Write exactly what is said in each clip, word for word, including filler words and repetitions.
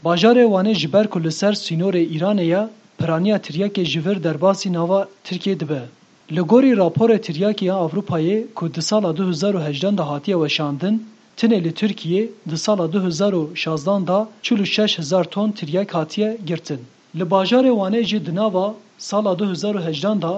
Bajarê Wanê ji ber ku li ser sînorê Îranê ye, piraniya tiryakê ji vir derbasî nava Tirkiyê dibe. Li gorî raporê tiryakê ya Ewropayê ku di sala du hezar û hejdan de hatiye weşandin, tinê li Tirkiyê di sala du hezar û şazdan de çil û şeş hezar ton tiryak hatiye girtin. Li bajarê Wanê jî di nava sala du hezar û hejdan de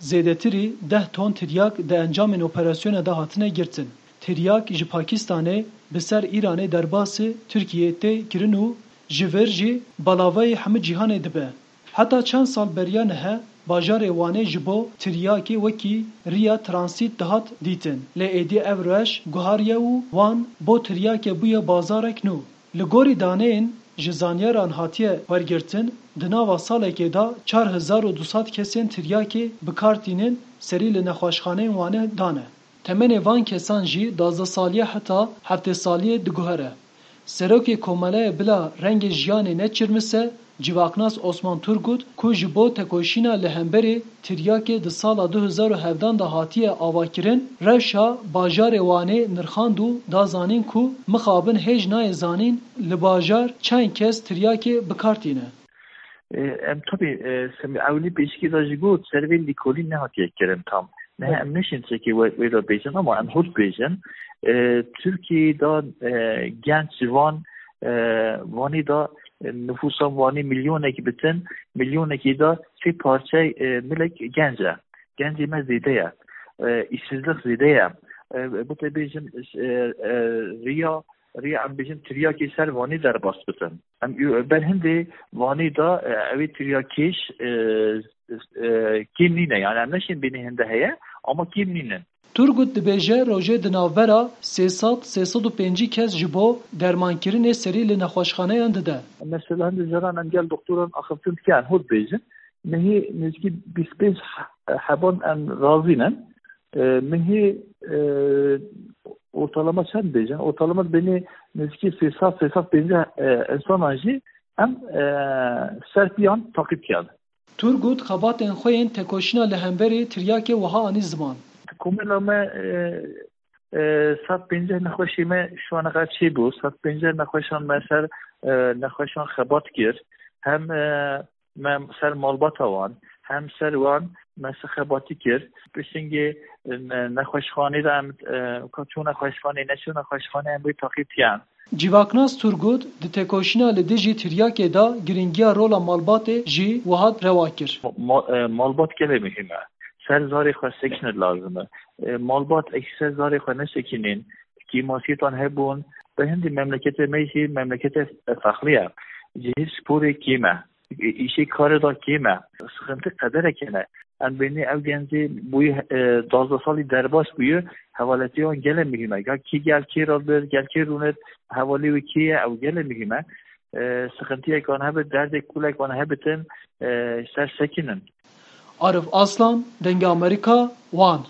zêdetirî deh ton tiryak di encamên operasyonê de hatine girtin. Tiryak ji Pakistanê bi ser Îranê derbasî Tirkiyeyê tê kirin û ji vir jî belavayî hemû cîhanê dibe. Heta çend sal beriya niha bajarê Wanê ji bo tiryakê wekî riya transît dihat dîtin. Lê êdî ev rewş guhariye û Wan bo tiryakê bûye bazarek nû. Li gorî daneyên ji zanyaran hatiye wergirtin, di nava salekê de çar hezar û du sed kesên tiryakê bi kar tînin serî li nexweşxaneyên Wanê dane. Temenê van kesan jî duwazdeh saliyê heta heftê saliyê diguhere. Serokê Komeleyê Bila Rengê Jiyanê Neçirmise, civaknas Osman Turgut, ku ji bo tekoşîna li hemberî tiryakê di sala du hezar û hevdan de hatiye avakirin, rewşa bajarê Wanê nirxand û da zanîn ku mixabin hêj nayê zanîn li bajar çend kes tiryakê bi kar tîne. E, em tabii, e, sem-, ewilî pêşikê de jî got, ser vê lîkolîn nehatiye kirin tam. Niha Evet. em neşin çekê wê, wê de bêjin, ama em hûr bêjin. E, Tirkiyeyê de, e, genç ji van, e, Vanê de, e, nüfusa Vanê milyonekî bitin, milyonekî de sê parçey, e, milek genc e. Gencê me zêde ye. E, îşsizlik zêde ye. E, bu te bêjin, e, e, riya, riya em bêjin tiryakê ser Vanê derbas bitin. Em û ber hindê Vanê de, e, ew ê tiryakêş, e, e, kêm nîne. Yani em neşên bênê hinde heye, ama kêm nîne. Turgut dibêje rojê di navbera sê sed, sê sed û pêncî kes ji bo dermankirinê serî li nexweşxaneyan dide. Mesela hindê caran em gel doktoran axiftin dikin, hûr bêjin. Mehî nêzîkî bîst pênc he-, heban em razî ne. E, mehî, e, ortalama çend bêjin? Ortalama bênê nêzîkî sê sed, sê sed pêncî, e, insanan jî em, e, ser piyan taqîb kiyan. Turgut xebatên xwe yên tekoşîna li hemberî tiryakê wiha anî ziman. Komela me, e, e, sed pêncî nexweşê me şu ana kadar çêbû. Sed pêncî nexweşan me ser, e, nexweşan xebat kir. Hem, e, me ser malbata wan, hem ser wan me ser xebatî kir. Pişingê, e, ne-, nexweşxanê de em, e, ka çû nexweşxanê, neçû nexweşxanê em wê taqîb kiyan. Civaknas Turgut di tekoşîna li dijî tiryakê de girîngiya rola malbatê jî wiha rewa kir. Ma-, ma-, e, malbat gelek muhîm e. Ser zarê xwe sekine lazim e. E, malbat ê ser zarê xwe nesekînin, kêmasiyê wan hebûn, bi hindî memleketê me jî memleketê fexlî ye. Cihê sporê kêm e. Îşê karê de kêm e. Sıkıntı qedereke ne. Em bênê ew gencê bûyî, e, duwazdeh salî derbas bûyî, hevaletiya wan gelek muhîm e. Ga kî gel kê re bir, gel kê rûnir, hevalê wî kê ye, ew gelek muhîm e. E, sıkıntıyek wan hebe, derdek kulek wan hebitin, e, ser sekinin. Arif Aslan, Dengê Amerîka, Wan.